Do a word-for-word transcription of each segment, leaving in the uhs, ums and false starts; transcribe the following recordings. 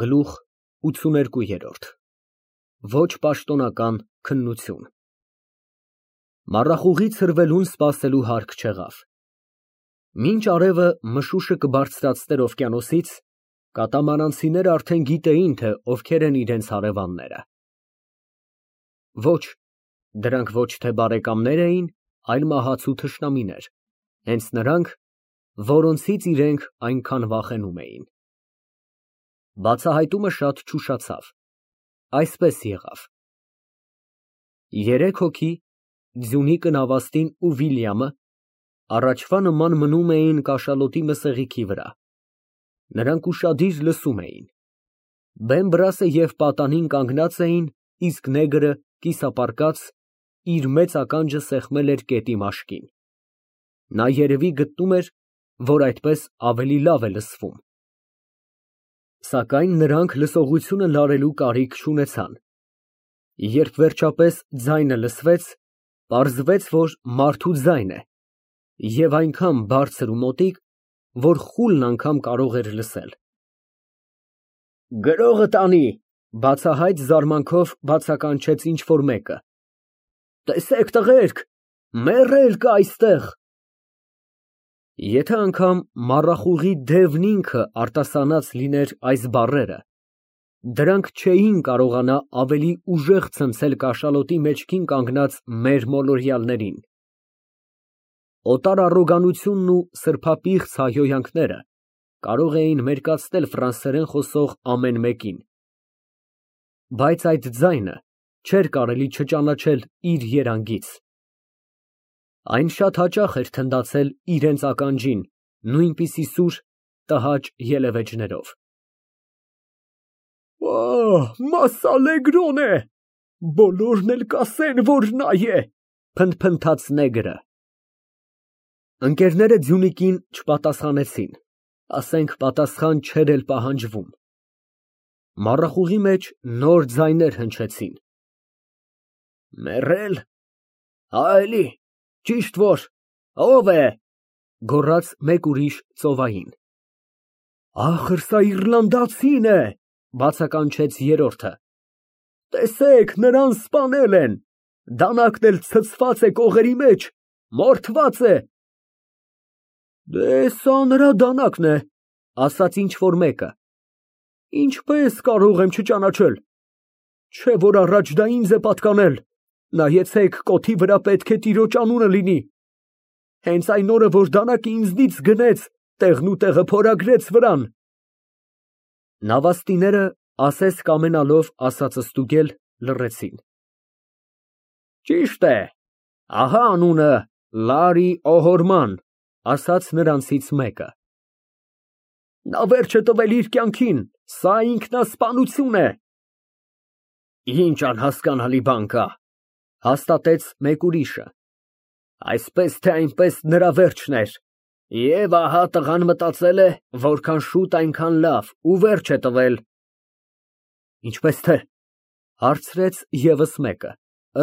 Գլուխ ութսուներկու։ Ոչ պաշտոնական քննություն։ Մառախուղից հրվելուն սպասելու հարկ չեղավ։ Մինչ արևը մշուշը կբարձրացներ օվկիանոսից, կատամարանցիները արդեն գիտեին, թե ովքեր են իրենց հարևանները։ Ոչ, դրանք ոչ թե բարեկամներ էին, այլ մահացու թշնամիներ, հենց նրանք, որոնցից իրենք այնքան վախենում էին։ Բացահայտումը շատ չուշացավ, այսպես եղավ. Երեք հոգի, Ձյունիկը, Նավաստին ու Վիլյամը, առաջվա նման մնում էին կաշալոտի մսեղիքի վրա, նրանք ուշադիր լսում էին, Բեմբրասը և պատանին կանգնած էին, իսկ նեգրը, կիսապարկած, իր մեծ ականջը սեղմել էր կետի մաշկին, նա երևի գտնում էր, որ այդպես ավելի լավ է լսվում։ Սակայն նրանք լսողությունը լարելու կարիք չունեցան, երբ վերջապես ձայնը լսվեց, պարզվեց, որ մարդու ձայն է, և այնքան բարձր ու մոտիկ, որ խուլն անգամ կարող էր լսել։ Գրողը տանի, բացահայտ զարմանքով բացականչեց ինչ֊որ մեկը։ Տեսեք, տղերք, մեռել կա այստեղ։ Եթե անգամ մառախուղի դևն ինքը արտասանած լիներ այս բառերը, դրանք չէին կարողանա ավելի ուժեղ ցնցել կաշալոտի մեջքին կանգնած մեր մոլորյալներին։ Օտար առոգանությունն ու սրբապիղծ հայհոյանքները կարող էին մերկացնել ֆրանսերեն խոսող ամեն մեկին, բայց այդ ձայնը չէր կարելի չճանաչել իր երանգից։ Այն շատ հաճախ էր թնդացել իրենց ականջին, նույնպիսի սուր, տհաճ ելևէջներով։ Ահ, Մասսալեգրոն է, բոլորն էլ կասեն, որ նա է, փնթփնթաց նեգրը։ Ընկերները Ձյունիկին չպատասխանեցին, ասենք պատասխան չէր էլ պահանջվում։ Մառախուղի մեջ նոր ձայներ հնչեցին։ Մեռել, հա էլի, ճիշտ որ, ո՞վ է, գոռաց մեկ ուրիշ ծովային։ Ախր սա իռլանդացին է, բացականչեց երրորդը։ Տեսեք, նրան սպանել են, դանակն էլ ցցված է կողերի մեջ, մորթված է։ Դե սա նրա դանակն է, ասաց ինչ֊որ մեկը։ Ինչպես կարող եմ չճանաչել, չէ որ առաջ դա ինձ է պատկանել, նայեցեք, կոթի վրա պետք է տիրոջ անունը լինի։ Հենց այն օրը, որ դանակը ինձնից գնեց, տեղն ու տեղը փորագրեց վրան։ Նավաստիները, ասես կամենալով ասածը ստուգել, լռեցին։ Ճիշտ է, ահա անունը, Լարի Օհորման, ասաց նրանցից մեկը։ Նա վերջ է տվել իր կյանքին, սա ինքնասպանություն է։ Ինչ անհասկանալի բան կա, հաստատեց մեկ ուրիշը։ Այսպես թե այնպես նրա վերջն էր, և ահա տղան մտածել է, որքան շուտ այնքան լավ, ու վերջ է տվել։ Ինչպես թե, հարցրեց ևս մեկը,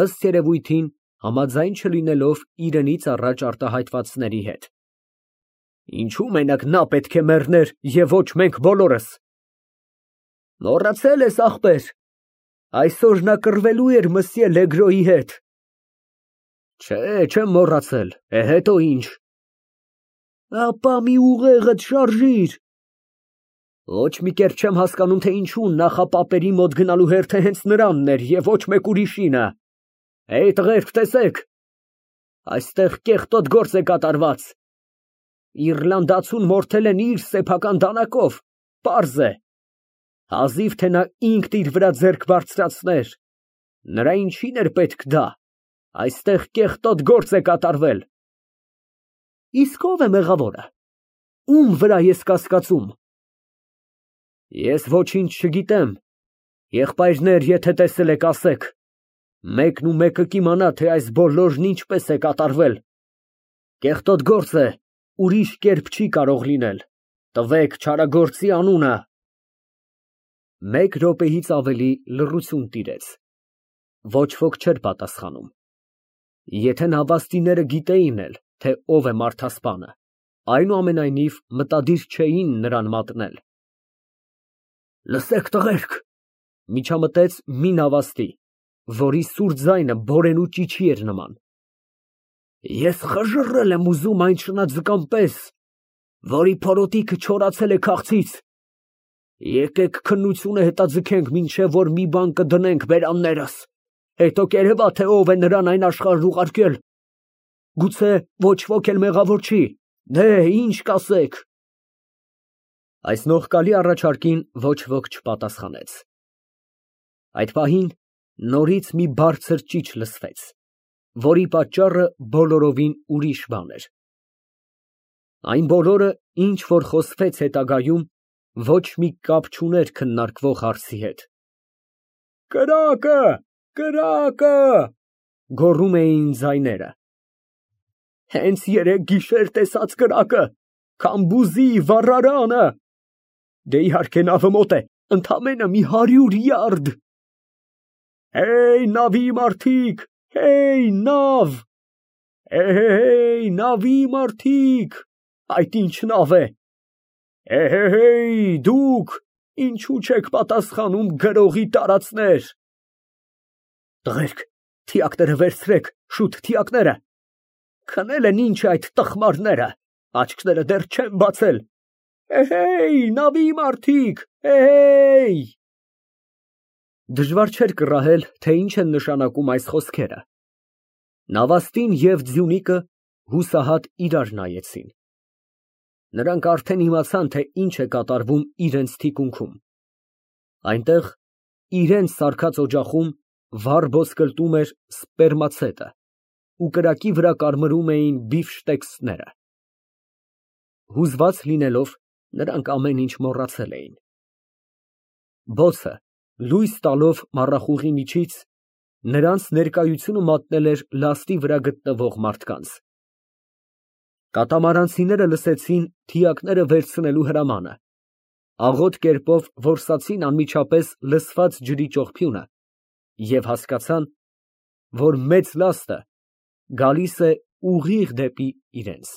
ըստ երևույթին, համաձայն չլինելով իրենից առաջ արտահայտվածների հետ։ Ինչու մենակ նա պետք է մեռներ և ոչ մենք բոլորս։ Մոռացել ես, ախպեր, այսօր նա կռվելու էր մսьє Լեգրոյի հետ։ Չէ, չեմ մոռացել, է հետո ինչ։ Ապա մի ուղեղդ շարժիր։ Ոչ մի կերպ չեմ հասկանում, թե ինչու նախապապերի մոտ գնալու հերթը հենց նրանն էր և ոչ մեկ ուրիշինը։ Էյ, տղերք, տեսեք, այստեղ կեղտոտ գործ է կատարված։ Իռլանդացուն մորթել են իր սեփական դանակով, պարզ է։ Հազիվ թե նա ինքն իր վրա ձեռք բարձրացներ, նրա ինչին էր պետք դա, այստեղ կեղտոտ գործ է կատարվել։ Իսկ ո՞վ է մեղավորը, ում վրա ես կասկածում։ Ես ոչինչ չգիտեմ, եղբայրներ, եթե տեսել եք, ասեք, մեկն ու մեկը կիմանա, թե այս բոլորն ինչպես է կատարվել։ Կեղտոտ գործ է, ուրիշ կերպ չի կարող լինել, տվեք չարագործի անունը։ Մեկ րոպեից ավելի լռություն տիրեց, ոչ ոք չէր պատասխանում։ Եթե նավաստիները գիտեին էլ, թե ով է մարդասպանը, այնուամենայնիվ մտադիր չէին նրան մատնել։ Լսեք տղերք, միջամտեց մի նավաստի, որի սուր ձայնը բորենու ճիչի էր նման։ Ես խժռել եմ ուզում այն շնաձկան պես, որի փորոտիքը չորացել է քաղցից։ Եկեք քննությունը հետաձգենք, մինչև որ մի բան կդնենք բերաններս, հետո կերևա, թե ով է նրան այն աշխարհ ուղարկել։ Գուցե ոչ ոք էլ մեղավոր չի, դե ինչ կասեք։ Այս նողկալի առաջարկին ոչ ոք չպատասխանեց։ Այդ պահին նորից մի բարձր ճիչ լսվեց, որի պատճառը բոլորովին ուրիշ բան էր։ Այն բոլորը, ինչ որ խոսվեց հետագայում, ոչ մի կապ չուներ քննարկվող հարցի հետ։ Կրակը, կրակը, գոռում էին ձայները։ Հենց երեկ գիշեր տեսած կրակը, Քամբուզի վառարանը։ Դե իհարկե նավը մոտ է, ընդամենը մի հարյուր յարդ։ Հեյ, նավի մարդիկ, հեյ, նավ։ Էհեհեյ, նավի մարդիկ, այդ ինչ նավ է։ Էհեհեյ, դուք, ինչու չեք պատասխանում գրողի տարածներ։ Տղերք, թիակները վերցրեք, շուտ թիակները։ Քնել են ինչ այդ տխմարները, աչքները դեռ չեն բացել։ Էհեյ, նավի մարդիկ, էհեյ։ Դժվար չէր կռահել, թե ինչ են նշանակում այս խոսքերը։ Նավաստին և Ձյունիկը հուսահատ իրար նայեցին։ Նրանք արդեն իմացան, թե ինչ է կատարվում իրենց թիկունքում։ Այնտեղ, իրենց սարքած օջախում, վառ ոսկլտում էր սպերմացետը ու կրակի վրա կարմրում էին բիֆշտեքսները։ Հուզված լինելով, նրանք ամեն ինչ մոռացել էին։ Բոցը, լույս տալով մառախուղի միջից, նրանց ներկայությունը մատնել էր լաստի վրա գտնվող մարդկանց։ Կատամարանցիները լսեցին թիակները վերցնելու հրամանը, աղոտ կերպով որսացին անմիջապես լսված ջրի ճողփյունը և հասկացան, որ մեծ լաստը գալիս է ուղիղ դեպի իրենց։